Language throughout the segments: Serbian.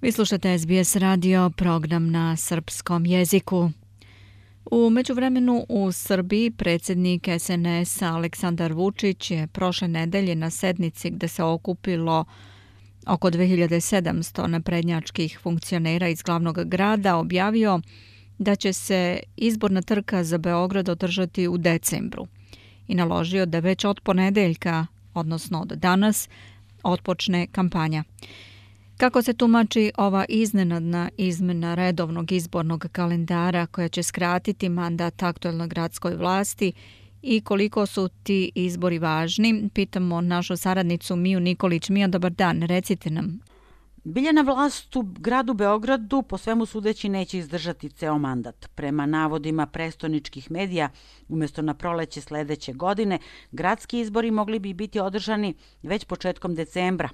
Vi slušate SBS radio, program na srpskom jeziku. U međuvremenu u Srbiji predsjednik SNS-a Aleksandar Vučić je prošle nedelje na sednici gde se okupilo oko 2700 naprednjačkih funkcionera iz glavnog grada objavio da će se izborna trka za Beograd održati u decembru i naložio da već od ponedeljka, odnosno od danas, otpočne kampanja. Kako se tumači ova iznenadna izmena redovnog izbornog kalendara koja će skratiti mandat aktuelnoj gradskoj vlasti i koliko su ti izbori važni, pitamo našu saradnicu Miju Nikolić. Mija, dobar dan, recite nam. Biljana vlast u gradu Beogradu po svemu sudeći neće izdržati ceo mandat. Prema navodima prestoničkih medija, umjesto na proleće sledeće godine, gradski izbori mogli bi biti održani već početkom decembra.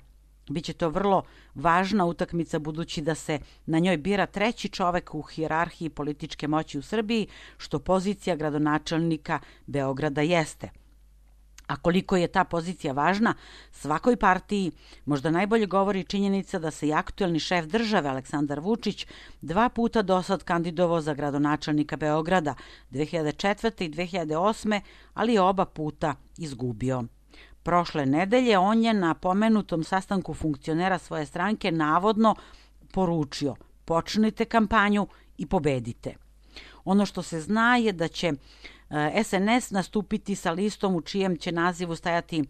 Biće to vrlo važna utakmica budući da se na njoj bira treći čovek u hijerarhiji političke moći u Srbiji, što pozicija gradonačelnika Beograda jeste. A koliko je ta pozicija važna, svakoj partiji možda najbolje govori činjenica da se i aktuelni šef države Aleksandar Vučić 2 puta dosad kandidovao za gradonačelnika Beograda, 2004. i 2008. ali je oba puta izgubio. Prošle nedelje on je na pomenutom sastanku funkcionera svoje stranke navodno poručio: počnite kampanju i pobedite. Ono što se zna je da će SNS nastupiti sa listom u čijem će nazivu stajati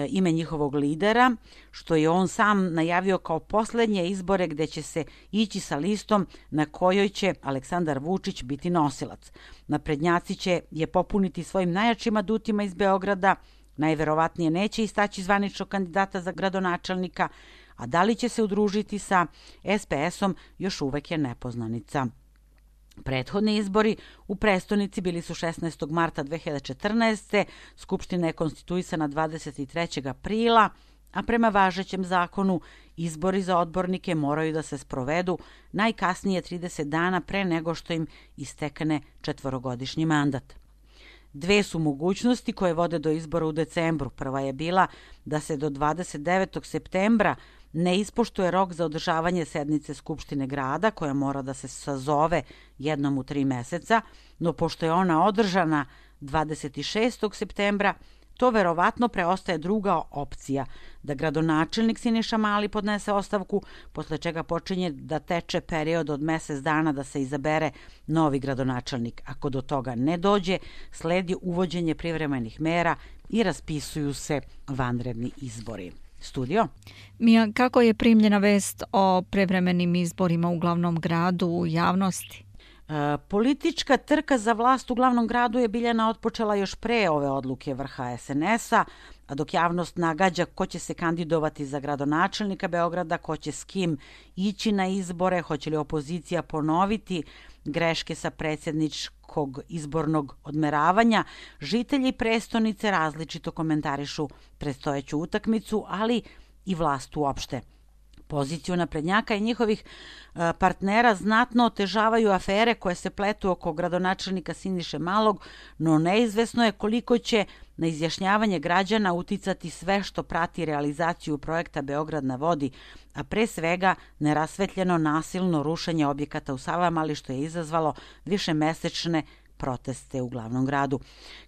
ime njihovog lidera, što je on sam najavio kao poslednje izbore gde će se ići sa listom na kojoj će Aleksandar Vučić biti nosilac. Naprednjaci će je popuniti svojim najjačim adutima iz Beograda, najverovatnije neće istaći zvaničnog kandidata za gradonačelnika, a da li će se udružiti sa SPS-om još uvek je nepoznanica. Prethodni izbori u prestonici bili su 16. marta 2014. Skupština je konstituisana 23. aprila, a prema važećem zakonu izbori za odbornike moraju da se sprovedu najkasnije 30 dana pre nego što im istekne 4-godišnji mandat. Dve su mogućnosti koje vode do izbora u decembru. Prva je bila da se do 29. septembra ne ispoštuje rok za održavanje sednice Skupštine grada, koja mora da se sazove jednom u 3 meseca, no pošto je ona održana 26. septembra, to verovatno preostaje druga opcija, da gradonačelnik Siniša Mali podnese ostavku, posle čega počinje da teče period od mesec dana da se izabere novi gradonačelnik. Ako do toga ne dođe, sledi uvođenje privremenih mera i raspisuju se vanredni izbori. Studio? Mija, kako je primljena vest o prevremenim izborima u glavnom gradu u javnosti? Politička trka za vlast u glavnom gradu je Biljana otpočela još pre ove odluke vrha SNS-a, a dok javnost nagađa ko će se kandidovati za gradonačelnika Beograda, ko će s kim ići na izbore, hoće li opozicija ponoviti greške sa predsjedničkog izbornog odmeravanja, žitelji prestonice različito komentarišu predstojeću utakmicu, ali i vlast uopšte. Poziciju naprednjaka i njihovih partnera znatno otežavaju afere koje se pletu oko gradonačelnika Siniše Malog, no neizvesno je koliko će na izjašnjavanje građana uticati sve što prati realizaciju projekta Beograd na vodi, a pre svega nerasvetljeno nasilno rušenje objekata u Savamali, što je izazvalo višemesečne proteste u glavnom gradu.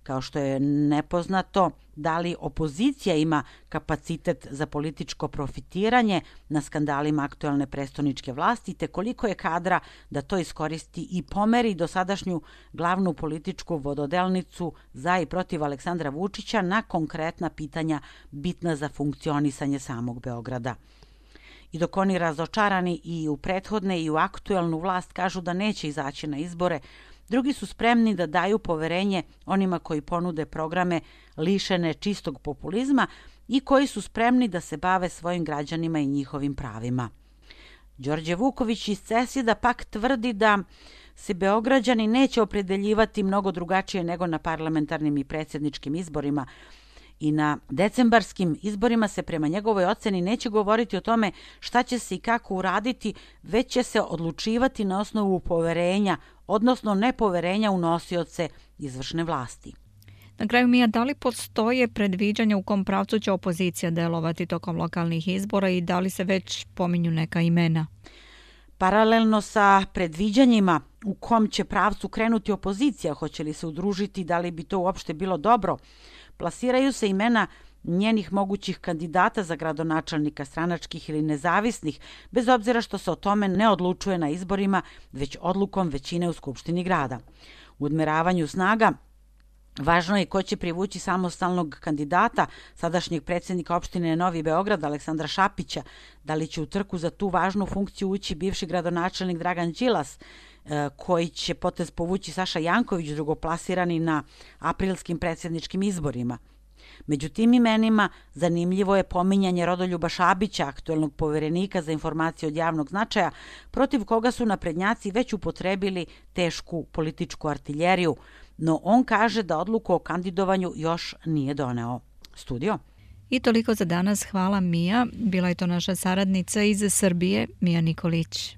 Kao što je nepoznato da li opozicija ima kapacitet za političko profitiranje na skandalima aktuelne prestoničke vlasti, te koliko je kadra da to iskoristi i pomeri dosadašnju glavnu političku vododelnicu za i protiv Aleksandra Vučića na konkretna pitanja bitna za funkcionisanje samog Beograda. I dok oni razočarani i u prethodne i u aktuelnu vlast kažu da neće izaći na izbore, drugi su spremni da daju poverenje onima koji ponude programe lišene čistog populizma i koji su spremni da se bave svojim građanima i njihovim pravima. Đorđe Vuković iz CESID-a pak tvrdi da se Beograđani neće opredeljivati mnogo drugačije nego na parlamentarnim i predsjedničkim izborima, i na decembarskim izborima se prema njegovoj oceni neće govoriti o tome šta će se i kako uraditi, već će se odlučivati na osnovu poverenja, odnosno nepoverenja u nosioce izvršne vlasti. Na kraju, Mija, da li postoje predviđanja u kom pravcu će opozicija delovati tokom lokalnih izbora i da li se već pominju neka imena? Paralelno sa predviđanjima u kom će pravcu krenuti opozicija, hoće li se udružiti, da li bi to uopšte bilo dobro, plasiraju se imena njenih mogućih kandidata za gradonačelnika, stranačkih ili nezavisnih, bez obzira što se o tome ne odlučuje na izborima, već odlukom većine u Skupštini grada. U odmeravanju snaga važno je ko će privući samostalnog kandidata, sadašnjeg predsjednika opštine Novi Beograd, Aleksandra Šapića, da li će u trku za tu važnu funkciju ući bivši gradonačelnik Dragan Đilas, koji će potez povući Saša Janković, drugoplasirani na aprilskim predsjedničkim izborima. Među tim imenima zanimljivo je pominjanje Rodoljuba Šabića, aktuelnog poverenika za informacije od javnog značaja, protiv koga su naprednjaci već upotrebili tešku političku artiljeriju, no on kaže da odluku o kandidovanju još nije doneo. Studio. I toliko za danas. Hvala, Mija. Bila je to naša saradnica iz Srbije, Mija Nikolić.